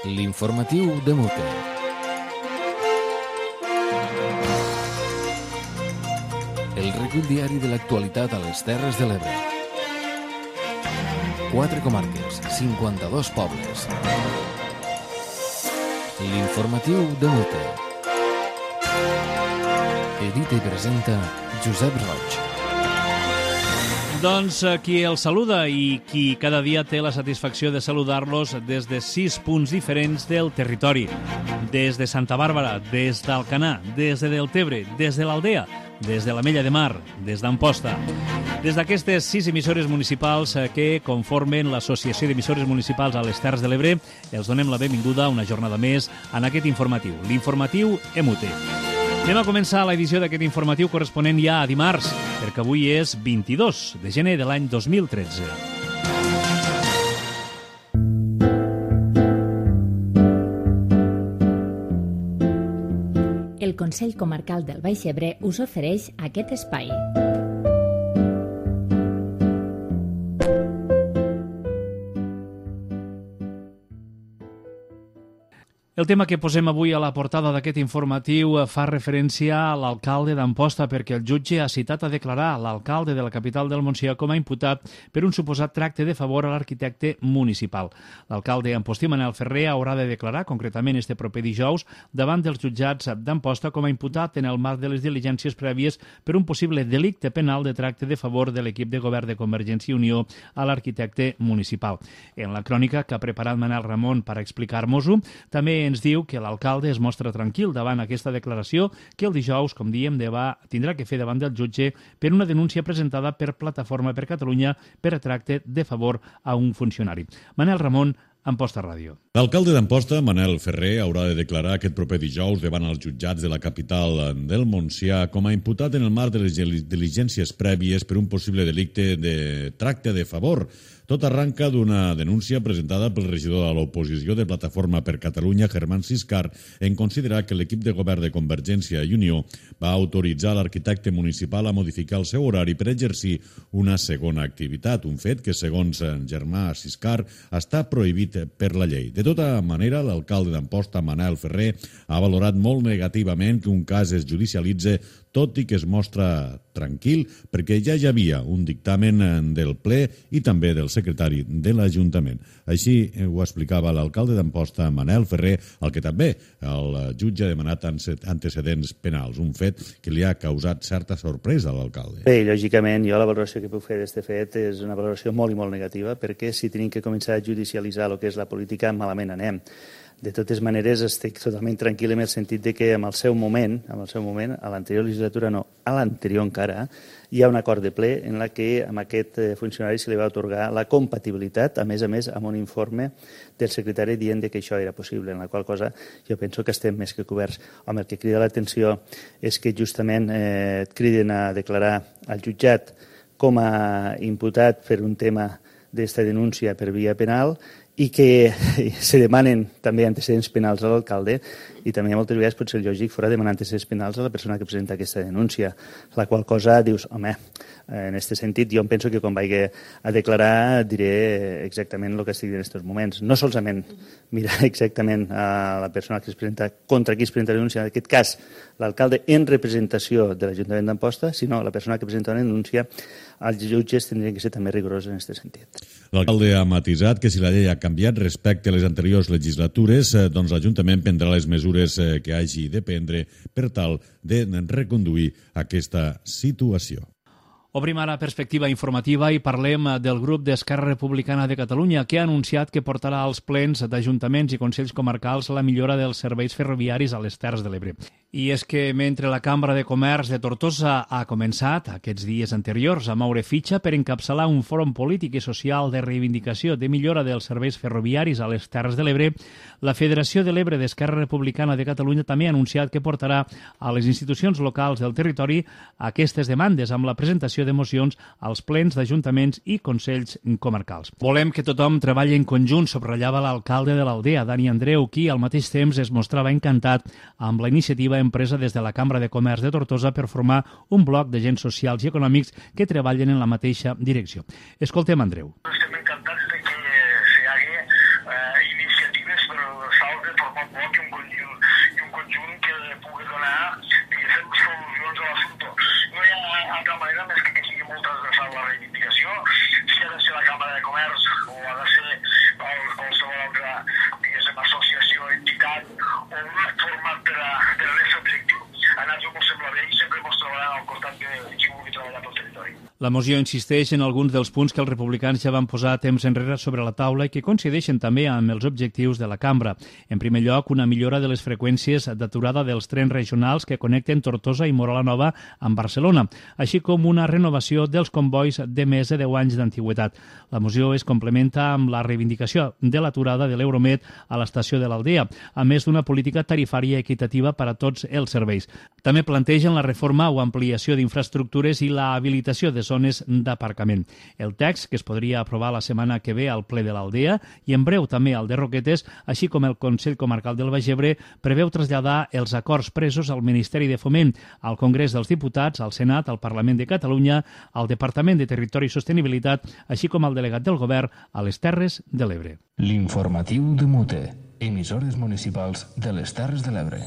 L'informatiu de Mote. El recull diari de l'actualitat a les Terres de l'Ebre. 4 comarques, 52 pobles. L'informatiu de Mote. Edita i presenta Josep Roig. Doncs qui els saluda i qui cada dia té la satisfacció de saludar-los des de 6 punts diferents del territori. Des de Santa Bàrbara, des d'Alcanar, des de Deltebre, des de l'Aldea, des de l'Ametlla de Mar, des d'Amposta. Des d'aquestes 6 emissores municipals que conformen l'Associació d'Emissores Municipals a les Terres de l'Ebre, els donem la benvinguda una jornada més en aquest informatiu, l'informatiu EMUT. Anem a començar l'edició d'aquest informatiu corresponent ja a dimarts, perquè avui és 22 de gener de l'any 2013. El Consell Comarcal del Baix Ebre us ofereix aquest espai. El tema que posem avui a la portada d'aquest informatiu fa referència a l'alcalde d'Amposta perquè el jutge ha citat a declarar l'alcalde de la capital del Montsià com a imputat per un suposat tracte de favor a l'arquitecte municipal. L'alcalde ampostí Manel Ferrer haurà de declarar, concretament este proper dijous, davant dels jutjats d'Amposta com a imputat en el marc de les diligències prèvies per un possible delicte penal de tracte de favor de l'equip de govern de Convergència i Unió a l'arquitecte municipal. En la crònica que ha preparat Manel Ramon per explicar-nos-ho, també ens diu que l'alcalde es mostra tranquil davant aquesta declaració que el dijous, com diem, tindrà que fer davant del jutge per una denúncia presentada per Plataforma per Catalunya per tracte de favor a un funcionari. Manel Ramon, Amposta Ràdio. L'alcalde d'Amposta, Manel Ferrer, haurà de declarar aquest proper dijous davant els jutjats de la capital del Montsià com a imputat en el marc de les diligències prèvies per un possible delicte de tracte de favor. Tot arranca d'una denúncia presentada pel regidor de l'oposició de Plataforma per Catalunya, Germán Siscar, en considerar que l'equip de govern de Convergència i Unió va autoritzar l'arquitecte municipal a modificar el seu horari per exercir una segona activitat, un fet que, segons Germán Siscar, està prohibit per la llei. De tota manera, l'alcalde d'Amposta, Manel Ferrer, ha valorat molt negativament que un cas es judicialitze, tot i que es mostra tranquil perquè ja hi havia un dictamen del ple i també del secretari de l'Ajuntament. Així ho explicava l'alcalde d'Amposta, Manel Ferrer, al que també el jutge ha demanat antecedents penals, un fet que li ha causat certa sorpresa a l'alcalde. Bé, lògicament, jo la valoració que puc fer d'aquest fet és una valoració molt i molt negativa, perquè si tenim que començar a judicialitzar el que és la política, malament anem. De totes maneres, estic totalment tranquil en el sentit de que en el seu moment, a l'anterior legislatura no, a l'anterior encara, hi ha un acord de ple en la que a aquest funcionari se li va atorgar la compatibilitat, a més, amb un informe del secretari dient que això era possible, en la qual cosa jo penso que estem més que coberts. Home, el que crida l'atenció és que justament et criden a declarar al jutjat com a imputat per un tema d'esta denúncia per via penal i que se demanen també antecedents penals a l'alcalde i també moltes vegades pot ser lògic fora demanar antecedents penals a la persona que presenta aquesta denúncia, la qual cosa dius, home, en aquest sentit jo em penso que quan vagi a declarar diré exactament el que estic en aquests moments. No solament mirar exactament a la persona que es presenta, contra qui es presenta la denúncia, en aquest cas l'alcalde en representació de l'Ajuntament d'Amposta, sinó la persona que presenta una denúncia, els jutges tindrien que ser també rigorosos en aquest sentit. L'alcalde ha matisat que si la llei ha canviat respecte a les anteriors legislatures, doncs l'Ajuntament prendrà les mesures que hagi de prendre per tal de reconduir aquesta situació. Obrim ara perspectiva informativa i parlem del grup d'Esquerra Republicana de Catalunya que ha anunciat que portarà als plens d'ajuntaments i consells comarcals la millora dels serveis ferroviaris a les Terres de l'Ebre. I és que mentre la Cambra de Comerç de Tortosa ha començat aquests dies anteriors a moure fitxa per encapçalar un fòrum polític i social de reivindicació de millora dels serveis ferroviaris a les Terres de l'Ebre, la Federació de l'Ebre d'Esquerra Republicana de Catalunya també ha anunciat que portarà a les institucions locals del territori aquestes demandes amb la presentació de mocions als plens d'ajuntaments i consells comarcals. Volem que tothom treballi en conjunt, subratllava l'alcalde de l'Aldea, Dani Andreu, qui al mateix temps es mostrava encantat amb la iniciativa empresa des de la Cambra de Comerç de Tortosa per formar un bloc d'agents socials i econòmics que treballen en la mateixa direcció. Escoltem Andreu. Estem encantats de que se haga iniciatives per format per a l'este objectiu. A nosaltres ens sembla bé i sempre ens trobaran al costat de qui vulgui treballar pel territori. La moció insisteix en alguns dels punts que els republicans ja van posar temps enrere sobre la taula i que coincideixen també amb els objectius de la cambra. En primer lloc, una millora de les freqüències d'aturada dels trens regionals que connecten Tortosa i Móra la Nova amb Barcelona, així com una renovació dels convois de més de 10 anys d'antiguitat. La moció es complementa amb la reivindicació de l'aturada de l'Euromed a l'estació de l'Aldea, a més d'una política tarifària equitativa per a tots els serveis. També plantegen la reforma o ampliació d'infraestructures i la habilitació de zones d'aparcament. El text, que es podria aprovar la setmana que ve al ple de l'Aldea i en breu també al de Roquetes, així com el Consell Comarcal del Baix Ebre, preveu traslladar els acords presos al Ministeri de Foment, al Congrés dels Diputats, al Senat, al Parlament de Catalunya, al Departament de Territori i Sostenibilitat, així com al delegat del Govern a les Terres de l'Ebre. L'informatiu de Mute, emissores municipals de les Terres de l'Ebre.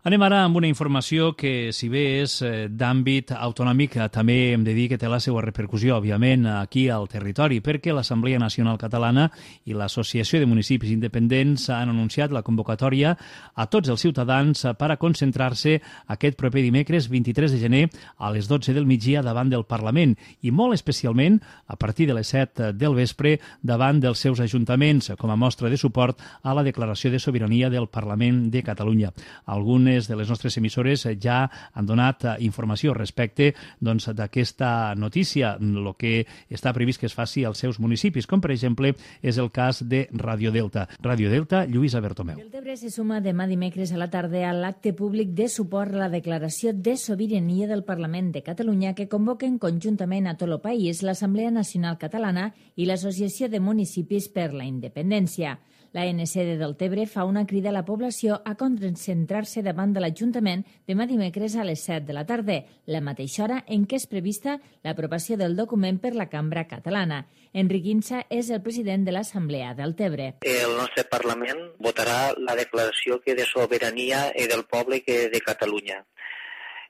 Anem ara amb una informació que, si bé és d'àmbit autonòmic, també hem de dir que té la seva repercussió, òbviament, aquí al territori, perquè l'Assemblea Nacional Catalana i l'Associació de Municipis Independents han anunciat la convocatòria a tots els ciutadans per a concentrar-se aquest proper dimecres 23 de gener a les 12 del migdia davant del Parlament i molt especialment a partir de les 7 del vespre davant dels seus ajuntaments, com a mostra de suport a la declaració de sobirania del Parlament de Catalunya. Algunes de les nostres emissores ja han donat informació respecte d'aquesta notícia, el que està previst que es faci als seus municipis, com per exemple és el cas de Radio Delta. Radio Delta, Lluïsa Bertomeu. Deltebre se suma demà dimecres a la tarda a l'acte públic de suport a la declaració de sobirania del Parlament de Catalunya que convoquen conjuntament a tot el país l'Assemblea Nacional Catalana i l'Associació de Municipis per la Independència. L'ANC de Deltebre fa una crida a la població a concentrar-se davant de l'Ajuntament demà dimecres a les 7 de la tarda, la mateixa hora en què és prevista l'aprovació del document per la Cambra Catalana. Enric Insa és el president de l'Assemblea de Deltebre. El nostre Parlament votarà la declaració de sobirania del poble de Catalunya.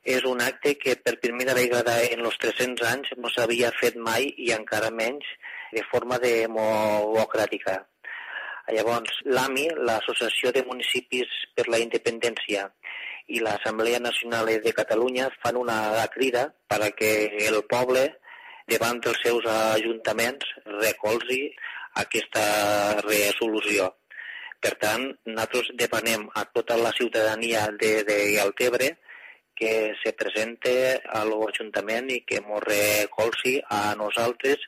És un acte que per primera vegada en els 300 anys no s'havia fet mai i encara menys de forma democràtica. Llavors, l'AMI, l'Associació de Municipis per la Independència i l'Assemblea Nacional de Catalunya fan una crida perquè el poble, davant dels seus ajuntaments, recolzi aquesta resolució. Per tant, nosaltres demanem a tota la ciutadania de Deltebre que se presente a l'Ajuntament i que ens recolzi a nosaltres,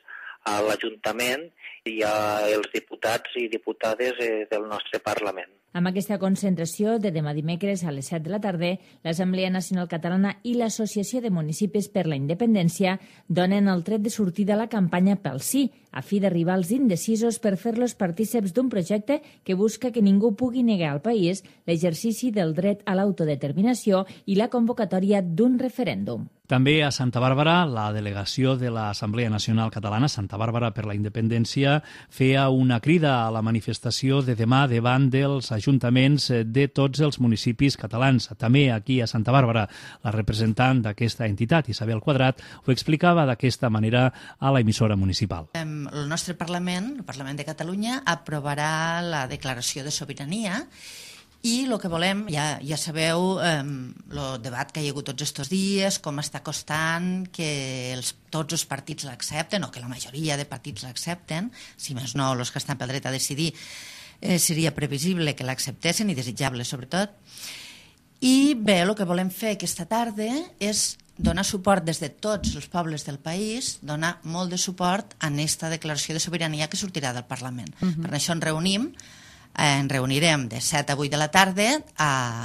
a l'Ajuntament i als diputats i diputades del nostre Parlament. Amb aquesta concentració de demà dimecres a les 7 de la tarda, l'Assemblea Nacional Catalana i l'Associació de Municipis per la Independència donen el tret de sortida a la campanya pel sí, a fi d'arribar als indecisos per fer-los partíceps d'un projecte que busca que ningú pugui negar al país l'exercici del dret a l'autodeterminació i la convocatòria d'un referèndum. També a Santa Bàrbara, la delegació de l'Assemblea Nacional Catalana, Santa Bàrbara per la Independència, feia una crida a la manifestació de demà davant dels ajuntaments de tots els municipis catalans. També aquí a Santa Bàrbara, la representant d'aquesta entitat, Isabel Quadrat, ho explicava d'aquesta manera a l'emissora municipal. El nostre Parlament, el Parlament de Catalunya, aprovarà la declaració de sobirania i el que volem, ja sabeu, el debat que hi ha hagut tots aquests dies, com està costant que tots els partits l'accepten, o que la majoria de partits l'accepten, si més no, els que estan pel dret a decidir, seria previsible que l'acceptessin i desitjable, sobretot. I bé, el que volem fer aquesta tarda és donar suport des de tots els pobles del país, donar molt de suport a aquesta declaració de sobirania que sortirà del Parlament. Per això ens reunirem de 7 a 8 de la tarda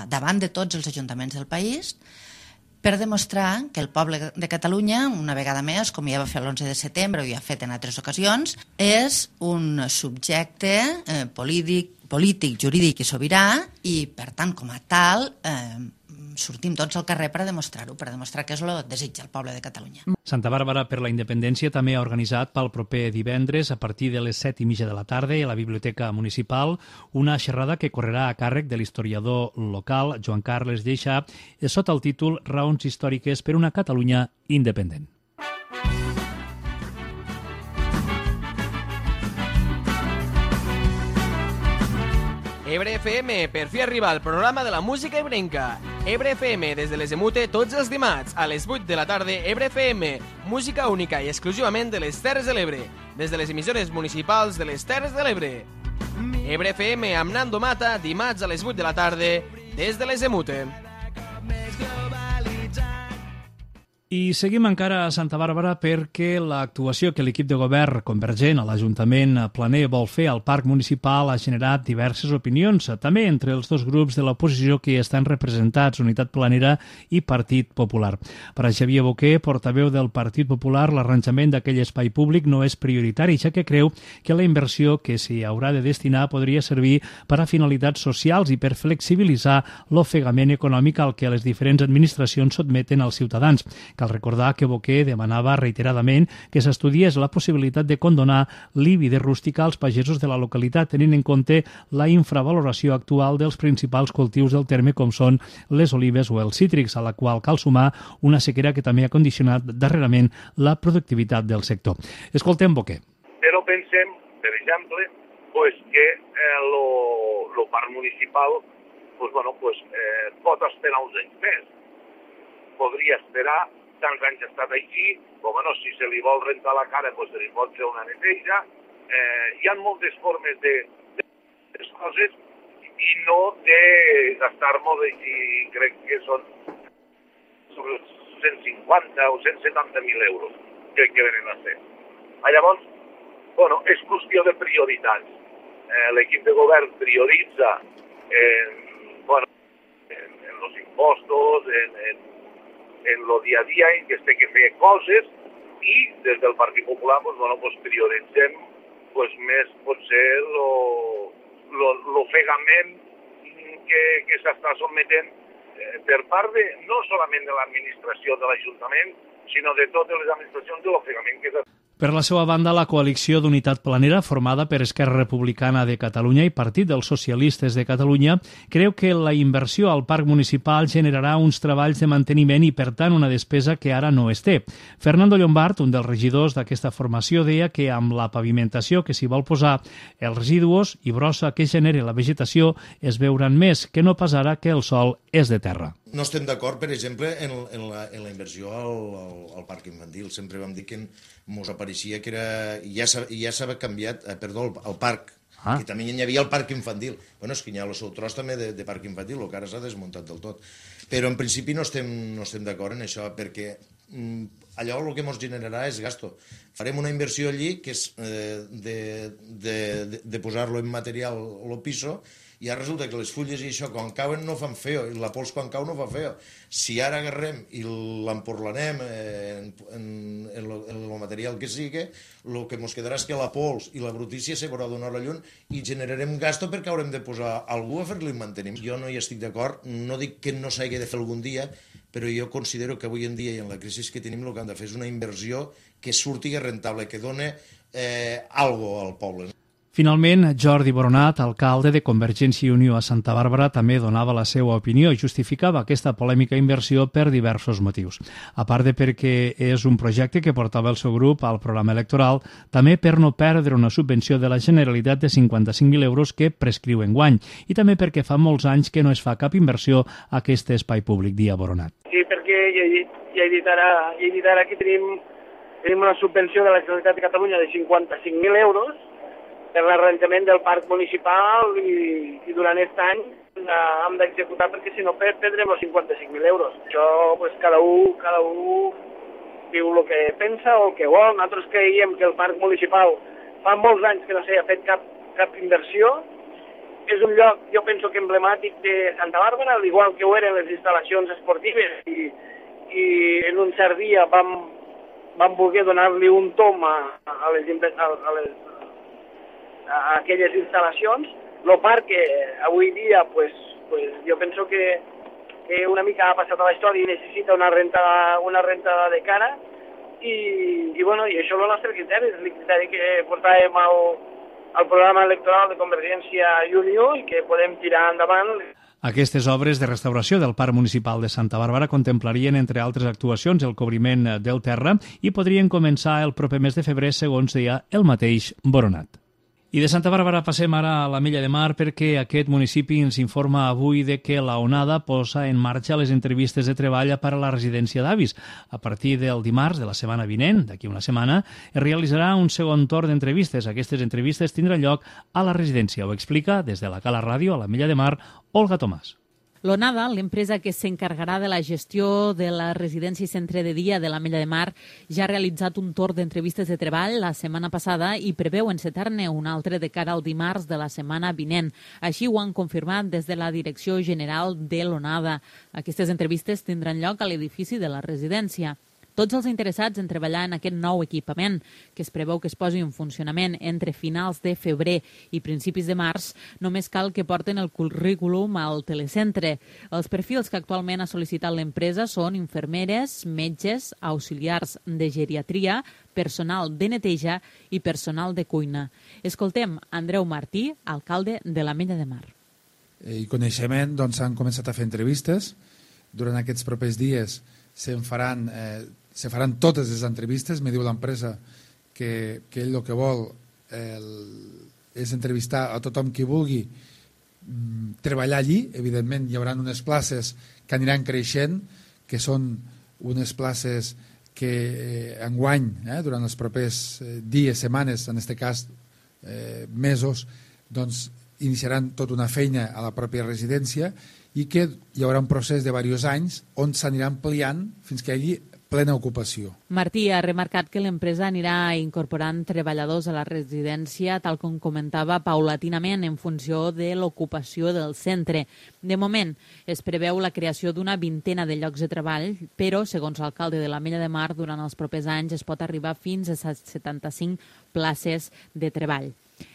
davant de tots els ajuntaments del país per demostrar que el poble de Catalunya, una vegada més, com ja va fer l'11 de setembre o ja ha fet en altres ocasions, és un subjecte polític, jurídic i sobirà i, per tant, com a tal, sortim tots al carrer per a demostrar-ho, per a demostrar que és el desig del poble de Catalunya. Santa Bàrbara per la Independència també ha organitzat pel proper divendres a partir de les 7:30 de la tarda a la Biblioteca Municipal una xerrada que correrà a càrrec de l'historiador local Joan Carles Lleixà sota el títol Raons històriques per una Catalunya independent. Ebre FM, per fi arriba el programa de la música ebrenca. Ebre FM, des de les Emute, tots els dimarts, a les 8 de la tarda, Ebre FM, música única i exclusivament de les Terres de l'Ebre, des de les emissores municipals de les Terres de l'Ebre. Ebre FM amb Nando Mata, dimarts a les 8 de la tarda, des de les Emute. I seguim encara a Santa Bàrbara perquè l'actuació que l'equip de govern convergent a l'Ajuntament Planer vol fer al Parc Municipal ha generat diverses opinions, també entre els dos grups de l'oposició que hi estan representats, Unitat Planera i Partit Popular. Per a Xavier Boquer, portaveu del Partit Popular, l'arranjament d'aquell espai públic no és prioritari, ja que creu que la inversió que s'hi haurà de destinar podria servir per a finalitats socials i per flexibilitzar l'ofegament econòmic al que les diferents administracions sotmeten als ciutadans. Cal recordar que Boquer demanava reiteradament que s'estudiés la possibilitat de condonar l'IBI de rústica als pagesos de la localitat, tenint en compte la infravaloració actual dels principals cultius del terme, com són les olives o els cítrics, a la qual cal sumar una sequera que també ha condicionat darrerament la productivitat del sector. Escoltem Boquer. Però pensem, per exemple, que el parc municipal pot esperar uns anys més. Podria esperar, tants anys ha estat així, si se li vol rentar la cara, se li pot fer una neteja. Hi ha moltes formes de les coses i no de gastar molt, i crec que són sobre 150 o 170.000 euros que venen a ser. Llavors, és qüestió de prioritats. L'equip de govern prioritza en los impostos, en lo dia a dia en què es té que fer coses, i des del Partit Popular prioritzem més potser l'ofegament que s'està sotmetent per part no solament de l'administració de l'Ajuntament, sinó de totes les administracions, de l'ofegament que s'està. Per la seva banda, la coalició d'Unitat Planera, formada per Esquerra Republicana de Catalunya i Partit dels Socialistes de Catalunya, creu que la inversió al parc municipal generarà uns treballs de manteniment i, per tant, una despesa que ara no es té. Fernando Llombart, un dels regidors d'aquesta formació, deia que amb la pavimentació que s'hi vol posar, els residus i brossa que genera la vegetació es veuran més, que no pas ara que el sòl és de terra. No estem d'acord, per exemple, en la inversió al parc infantil. Sempre vam dir que ens apareixia que ja s'havia canviat, al parc, que també hi havia el parc infantil. És que hi ha el seu tros també de parc infantil, el que ara s'ha desmuntat del tot. Però en principi no estem d'acord en això, perquè allò el que ens generarà és gasto. Farem una inversió allí que és de posar-lo en material al piso, i ara resulta que les fulles i això quan cauen no fan feo, i la pols quan cau no fa feo. Si ara agarrem i l'emporlanem en el material que sigui, el que ens quedarà és que la pols i la brutícia se veurà donar la llum i generarem gasto perquè haurem de posar algú a fer-li manteniment. Jo no hi estic d'acord, no dic que no s'hagi de fer algun dia, però jo considero que avui en dia i en la crisi que tenim el que han de fer és una inversió que surti rentable, que doni alguna cosa al poble. Finalment, Jordi Boronat, alcalde de Convergència i Unió a Santa Bàrbara, també donava la seva opinió i justificava aquesta polèmica inversió per diversos motius. A part de perquè és un projecte que portava el seu grup al programa electoral, també per no perdre una subvenció de la Generalitat de 55.000 euros que prescriu enguany, i també perquè fa molts anys que no es fa cap inversió a aquest espai públic, dia Boronat. Sí, perquè ja he dit ara que tenim una subvenció de la Generalitat de Catalunya de 55.000 euros per l'arranjament del parc municipal i durant aquest any hem d'executar perquè si no perdrem els 55.000 euros. Això, cada un diu el que pensa o el que vol. Nosaltres creiem que el parc municipal fa molts anys que no s'ha fet cap inversió. És un lloc, jo penso que emblemàtic de Santa Bàrbara, al igual que ho eren les instal·lacions esportives i en un cert dia vam voler donar-li un tom a aquelles instal·lacions. El parc que avui dia jo penso que una mica ha passat a la història i necessita una rentada de cara i això és el nostre criteri, és el criteri que portàvem al programa electoral de Convergència i Unió i que podem tirar endavant. Aquestes obres de restauració del Parc Municipal de Santa Bàrbara contemplarien, entre altres actuacions, el cobriment del terra i podrien començar el proper mes de febrer, segons deia el mateix Boronat. I de Santa Bàrbara passem ara a l'Ametlla de Mar perquè aquest municipi ens informa avui de que la onada posa en marxa les entrevistes de treball per a la residència d'avis. A partir del dimarts de la setmana vinent, d'aquí una setmana, es realitzarà un segon torn d'entrevistes. Aquestes entrevistes tindran lloc a la residència. Ho explica des de la Cala Ràdio a l'Ametlla de Mar, Olga Tomàs. L'Onada, l'empresa que s'encarregarà de la gestió de la residència i centre de dia de l'Ametlla de Mar, ja ha realitzat un torn d'entrevistes de treball la setmana passada i preveu encetar-ne un altre de cara al dimarts de la setmana vinent. Així ho han confirmat des de la Direcció General de l'Onada. Aquestes entrevistes tindran lloc a l'edifici de la residència. Tots els interessats en treballar en aquest nou equipament, que es preveu que es posi en funcionament entre finals de febrer i principis de març, només cal que porten el currículum al telecentre. Els perfils que actualment ha sol·licitat l'empresa són infermeres, metges, auxiliars de geriatria, personal de neteja i personal de cuina. Escoltem Andreu Martí, alcalde de l'Ametlla de Mar. I coneixement, doncs s'han començat a fer entrevistes. Durant aquests propers dies se faran totes les entrevistes. Me diu l'empresa que ell el que vol és entrevistar a tothom qui vulgui treballar allí. Evidentment hi haurà unes places que aniran creixent, que són unes places que enguany, durant els propers dies, setmanes, en aquest cas mesos, doncs iniciaran tota una feina a la pròpia residència i que hi haurà un procés de diversos anys on s'anirà ampliant fins que hi hagi plena ocupació. Martí ha remarcat que l'empresa anirà incorporant treballadors a la residència, tal com comentava, paulatinament en funció de l'ocupació del centre. De moment, es preveu la creació d'una vintena de llocs de treball, però, segons l'alcalde de l'Ametlla de Mar, durant els propers anys es pot arribar fins a 75 places de treball.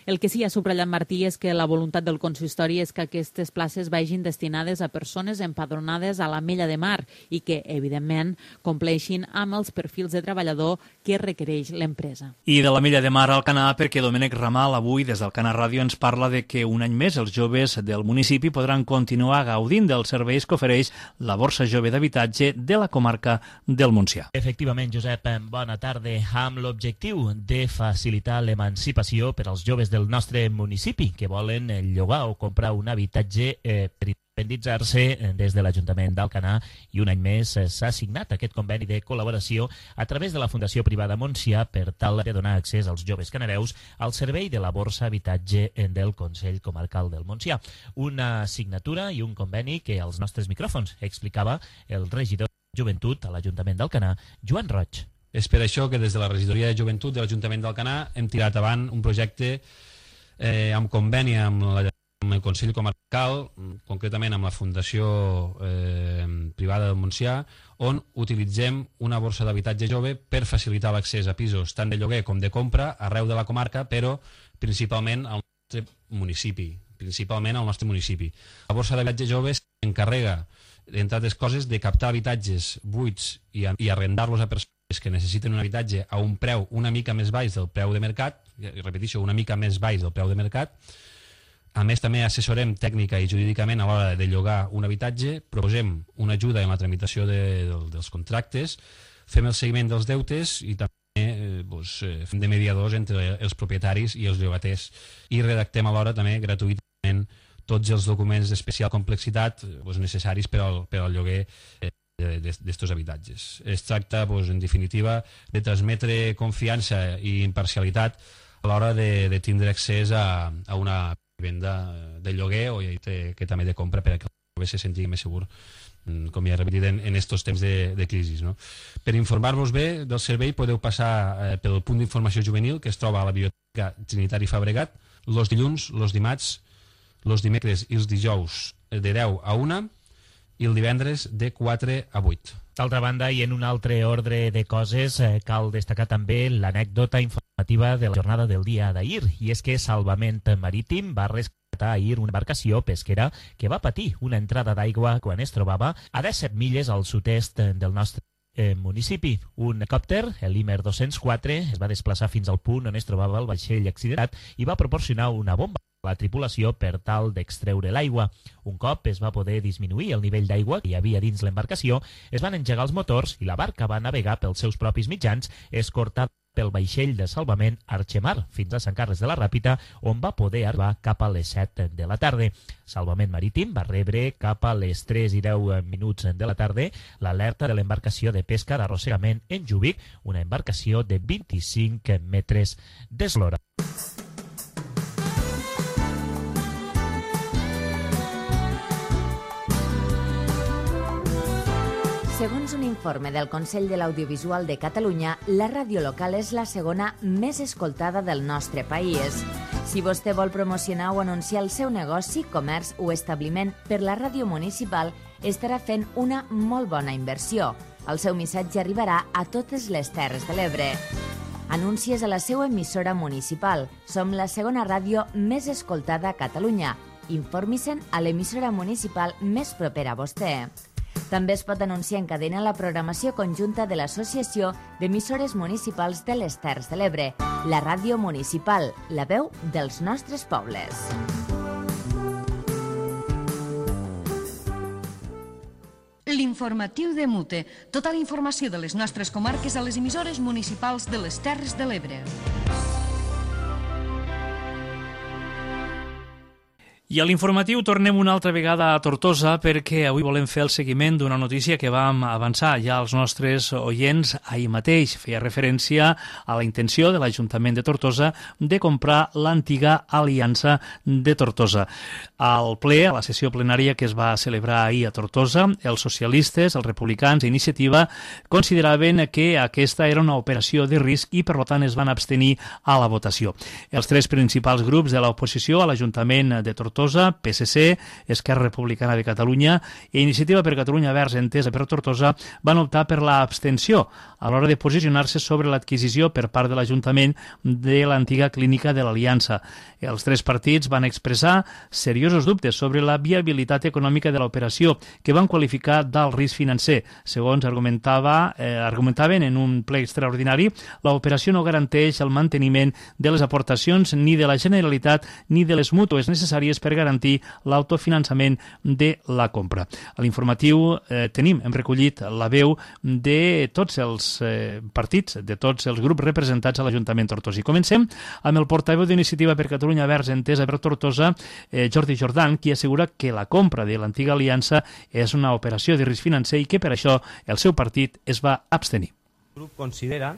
El que sí ha subratllat Martí és que la voluntat del consistori és que aquestes places vagin destinades a persones empadronades a l'Ametlla de Mar i que, evidentment, compleixin amb els perfils de treballador que requereix l'empresa. I de l'Ametlla de Mar al Canà, perquè Domènec Ramal avui des del Canà Ràdio ens parla de que un any més els joves del municipi podran continuar gaudint dels serveis que ofereix la Borsa Jove d'Habitatge de la comarca del Montsià. Efectivament, Josep, bona tarda. Amb l'objectiu de facilitar l'emancipació per als joves del nostre municipi que volen llogar o comprar un habitatge per independitzar-se des de l'Ajuntament d'Alcanar, i un any més s'ha signat aquest conveni de col·laboració a través de la Fundació Privada Montsià per tal de donar accés als joves canareus al servei de la Borsa Habitatge del Consell Comarcal del Montsià. Una signatura i un conveni que als nostres micròfons explicava el regidor de Joventut a l'Ajuntament d'Alcanar, Joan Roig. És per això que des de la Regidoria de Joventut de l'Ajuntament d'Alcanar hem tirat avant un projecte amb conveni amb el Consell Comarcal, concretament amb la Fundació Privada del Montsià, on utilitzem una borsa d'habitatge jove per facilitar l'accés a pisos tant de lloguer com de compra arreu de la comarca, però principalment al nostre municipi. La borsa d'habitatge jove s'encarrega, entre altres coses, de captar habitatges buits i arrendar-los a persones que necessiten un habitatge a un preu una mica més baix del preu de mercat, repeteixo, una mica més baix del preu de mercat. A més, també assessorem tècnica i jurídicament a l'hora de llogar un habitatge, proposem una ajuda en la tramitació dels contractes, fem el seguiment dels deutes i també fem de mediadors entre els propietaris i els llogaters, i redactem alhora també gratuïtament tots els documents d'especial complexitat necessaris per al lloguer d'estos habitatges. Es tracta, en definitiva, de transmetre confiança i imparcialitat a l'hora de tindre accés a una venda de lloguer o que també de compra, perquè el jove se senti més segur, com ja he repetit, en aquests temps de crisi. Per informar-vos bé del servei podeu passar pel punt d'informació juvenil que es troba a la Biblioteca Trinitari Fabregat els dilluns, els dimarts, els dimecres i els dijous de 10 a 1 i el divendres de 4 a 8. D'altra banda, i en un altre ordre de coses, cal destacar també l'anècdota informativa de la jornada del dia d'ahir, i és que Salvament Marítim va rescatar ahir una embarcació pesquera que va patir una entrada d'aigua quan es trobava a 17 milles al sud-est del nostre municipi. Un helicòpter, l'Imer 204, es va desplaçar fins al punt on es trobava el vaixell accidentat i va proporcionar una bomba a la tripulació per tal d'extreure l'aigua. Un cop es va poder disminuir el nivell d'aigua que hi havia dins l'embarcació, es van engegar els motors i la barca va navegar pels seus propis mitjans, escortada pel vaixell de salvament Arxemar fins a Sant Carles de la Ràpita, on va poder arribar cap a les 7 de la tarda. Salvament Marítim va rebre cap a les 3 i 10 minuts de la tarda l'alerta de l'embarcació de pesca d'arrossegament en Júbic, una embarcació de 25 metres d'eslora. Segons un informe del Consell de l'Audiovisual de Catalunya, la ràdio local és la segona més escoltada del nostre país. Si vostè vol promocionar o anunciar el seu negoci, comerç o establiment per la ràdio municipal, estarà fent una molt bona inversió. El seu missatge arribarà a totes les Terres de l'Ebre. Anuncies a la seva emissora municipal. Som la segona ràdio més escoltada a Catalunya. Informi-se'n a l'emissora municipal més propera a vostè. També es pot anunciar en cadena la programació conjunta de l'Associació d'Emissores Municipals de les Terres de l'Ebre, la ràdio municipal, la veu dels nostres pobles. L'informatiu de Mute. Tota la informació de les nostres comarques a les emissores municipals de les Terres de l'Ebre. I a l'informatiu tornem una altra vegada a Tortosa perquè avui volem fer el seguiment d'una notícia que vam avançar ja als nostres oients ahir mateix. Feia referència a la intenció de l'Ajuntament de Tortosa de comprar l'antiga Aliança de Tortosa. Al ple, a la sessió plenària que es va celebrar ahir a Tortosa, els socialistes, els republicans i Iniciativa consideraven que aquesta era una operació de risc i per tant es van abstenir a la votació. Els tres principals grups de l'oposició a l'Ajuntament de Tortosa, PSC, Esquerra Republicana de Catalunya i Iniciativa per Catalunya Verds Entesa per Tortosa van optar per l'abstenció a l'hora de posicionar-se sobre l'adquisició per part de l'Ajuntament de l'antiga clínica de l'Aliança. Els tres partits van expressar seriosos dubtes sobre la viabilitat econòmica de l'operació, que van qualificar d'alt risc financer. Segons argumentaven en un ple extraordinari, l'operació no garanteix el manteniment de les aportacions ni de la Generalitat ni de les mútues necessàries per garantir l'autofinançament de la compra. A l'informatiu hem recollit la veu de tots els partits, de tots els grups representats a l'Ajuntament tortosí. Comencem amb el portaveu d'Iniciativa per Catalunya Verds Entesa per Tortosa, Jordi Jordan, qui assegura que la compra de l'antiga aliança és una operació de risc financer i que per això el seu partit es va abstenir. El grup considera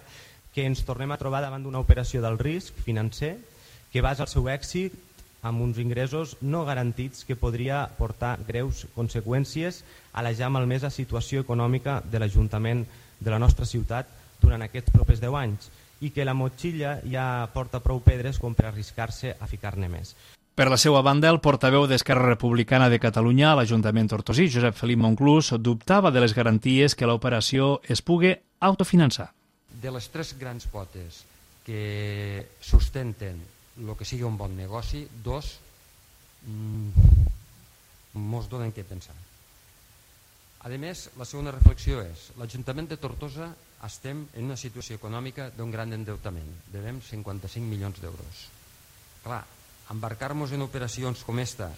que ens tornem a trobar davant d'una operació del risc financer que basa el seu èxit amb uns ingressos no garantits que podria portar greus conseqüències a la ja malmesa situació econòmica de l'Ajuntament de la nostra ciutat durant aquests propers 10 anys i que la motxilla ja porta prou pedres com per arriscar-se a ficar-ne més. Per la seva banda, el portaveu d'Esquerra Republicana de Catalunya a l'Ajuntament tortosí, Josep Felip Monclús, dubtava de les garanties que l'operació es pugui autofinançar. De les tres grans potes que sustenten el que sigui un bon negoci, dos mos donen què pensar. A més, la segona reflexió és l'Ajuntament de Tortosa estem en una situació econòmica d'un gran endeutament. Devem 55 milions d'euros. Clar, embarcar-nos en operacions com esta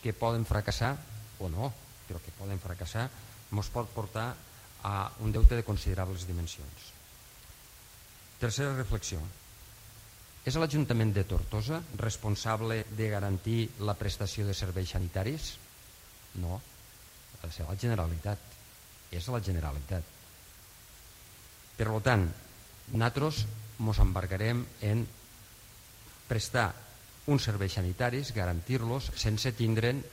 que poden fracassar, o no, però que poden fracassar, ens pot portar a un deute de considerables dimensions. Tercera reflexió. És l'Ajuntament de Tortosa responsable de garantir la prestació de serveis sanitaris? No, ha de ser la Generalitat. És la Generalitat. Per tant, nosaltres ens embarcarem en prestar uns serveis sanitaris, garantir-los sense tindre'n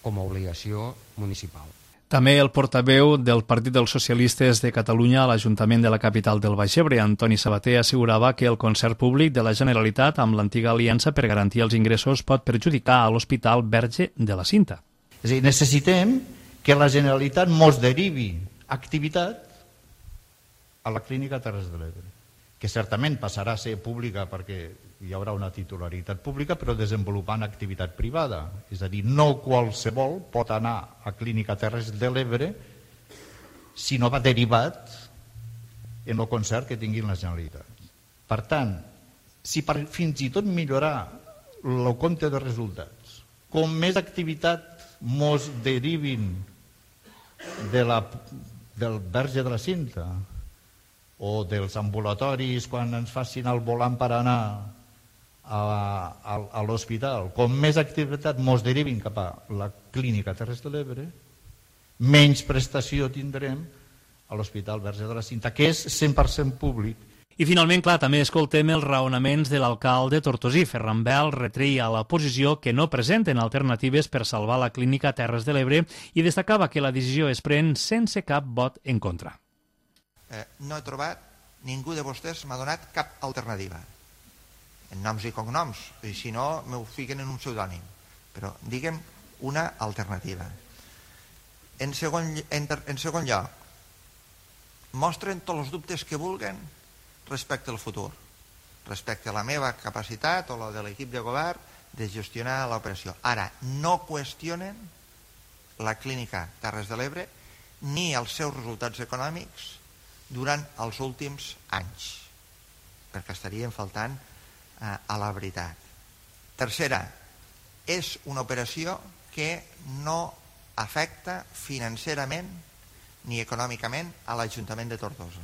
com a obligació municipal. També el portaveu del Partit dels Socialistes de Catalunya a l'Ajuntament de la capital del Baix Ebre, Antoni Sabater, assegurava que el concert públic de la Generalitat amb l'antiga aliança per garantir els ingressos pot perjudicar a l'Hospital Verge de la Cinta. És a dir, necessitem que la Generalitat mos derivi activitat a la Clínica Terres de l'Ebre, que certament passarà a ser pública perquè hi haurà una titularitat pública, però desenvolupant activitat privada. És a dir, no qualsevol pot anar a Clínica Terres de l'Ebre si no va derivat en el concert que tingui la Generalitat. Per tant, si per fins i tot millorar el compte de resultats, com més activitat mos derivin del Verge de la Cinta o dels ambulatoris quan ens facin el volant per anar a l'hospital, com més activitat mos derivin cap a la clínica Terres de l'Ebre, menys prestació tindrem a l'Hospital Verge de la Cinta, que és 100% públic. I finalment, clar, també escoltem els raonaments de l'alcalde tortosí. Ferran Bel retreia a l'oposició que no presenten alternatives per salvar la clínica Terres de l'Ebre i destacava que la decisió es pren sense cap vot en contra. No he trobat, ningú de vostès m'ha donat cap alternativa. En noms i cognoms, i si no m'ho fiquen en un pseudònim. Però digue'm una alternativa. En segon lloc, mostren tots els dubtes que vulguen respecte al futur, respecte a la meva capacitat o la de l'equip de govern de gestionar l'operació. Ara, no qüestionen la clínica Terres de l'Ebre ni els seus resultats econòmics durant els últims anys, perquè estarien faltant a la veritat. Tercera, és una operació que no afecta financerament ni econòmicament a l'Ajuntament de Tortosa.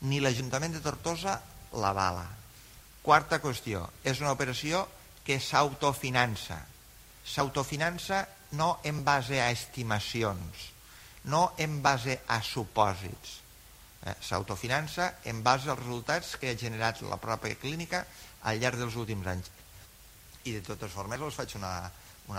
Ni l'Ajuntament de Tortosa l'avala. Quarta qüestió, és una operació que s'autofinança. S'autofinança no en base a estimacions, no en base a supòsits. S'autofinança en base als resultats que ha generat la pròpia clínica al llarg dels últims anys. I de totes formes us faig una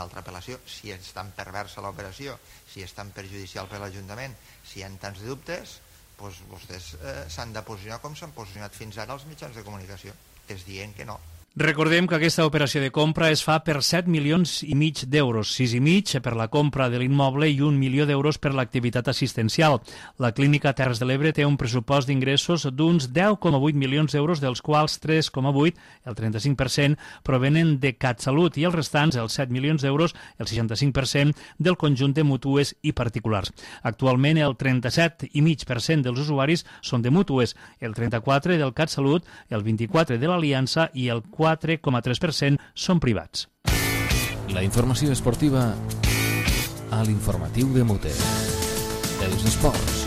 altra apel·lació. Si és tan perversa l'operació, si és tan perjudicial per l'Ajuntament, si hi ha tants dubtes, doncs vostès s'han de posicionar com s'han posicionat fins ara els mitjans de comunicació, és dient que no. Recordem que aquesta operació de compra es fa per 7,5 milions d'euros, 6,5 per la compra de l'immoble i 1 milió d'euros per l'activitat assistencial. La clínica Terres de l'Ebre té un pressupost d'ingressos d'uns 10,8 milions d'euros, dels quals 3,8, el 35%, provenen de CatSalut i els restants, els 7 milions d'euros, el 65%, del conjunt de mútues i particulars. Actualment, el 37,5% dels usuaris són de mútues, el 34% del CatSalut, el 24% de l'Aliança i el 4,3% són privats. La informació esportiva a l'informatiu de Mute. Els esports.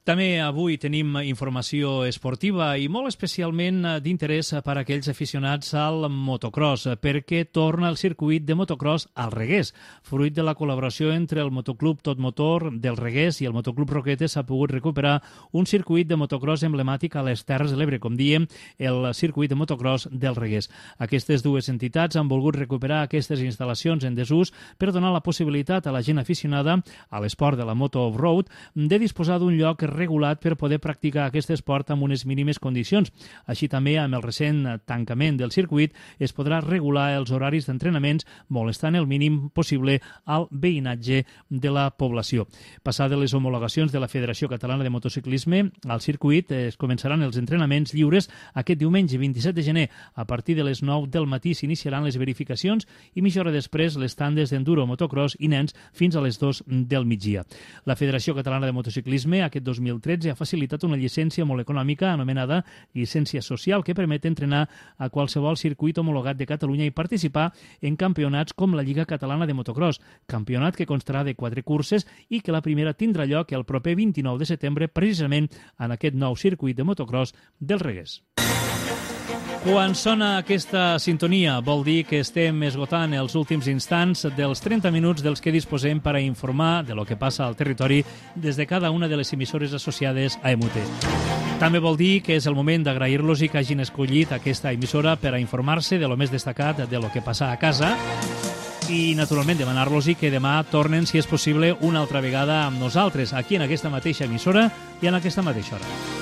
També avui tenim informació esportiva i molt especialment d'interès per a aquells aficionats al motocross, perquè torna el circuit de motocross al Regués. Fruit de la col·laboració entre el Motoclub Tot Motor del Regués i el Motoclub Roquetes s'ha pogut recuperar un circuit de motocross emblemàtic a les Terres de l'Ebre, com diem, el circuit de motocross del Regués. Aquestes dues entitats han volgut recuperar aquestes instal·lacions en desús per donar la possibilitat a la gent aficionada a l'esport de la moto off-road de disposar d'un lloc regulat per poder practicar aquest esport amb unes mínimes condicions. Així també, amb el recent tancament del circuit, es podrà regular els horaris d'entrenaments molestant el mínim possible al veïnatge de la població. Passades les homologacions de la Federació Catalana de Motociclisme, al circuit es començaran els entrenaments lliures aquest diumenge 27 de gener. A partir de les 9 del matí s'iniciaran les verificacions i mitja hora després les tandes d'enduro, motocross i nens fins a les 2 del migdia. La Federació Catalana de Motociclisme aquest 2013 ha facilitat una llicència molt econòmica anomenada llicència social que permet entrenar a qualsevol circuit homologat de Catalunya i participar en campionats com la Lliga Catalana de Motocross, campionat que constarà de 4 curses i que la primera tindrà lloc el proper 29 de setembre precisament en aquest nou circuit de motocross del Regués. Quan sona aquesta sintonia vol dir que estem esgotant els últims instants dels 30 minuts dels que disposem per a informar de lo que passa al territori des de cada una de les emissores associades a EMUTE. També vol dir que és el moment d'agrair-los i que hagin escollit aquesta emissora per a informar-se de lo més destacat de lo que passa a casa i, naturalment, demanar-los que demà tornen, si és possible, una altra vegada amb nosaltres, aquí en aquesta mateixa emissora i en aquesta mateixa hora.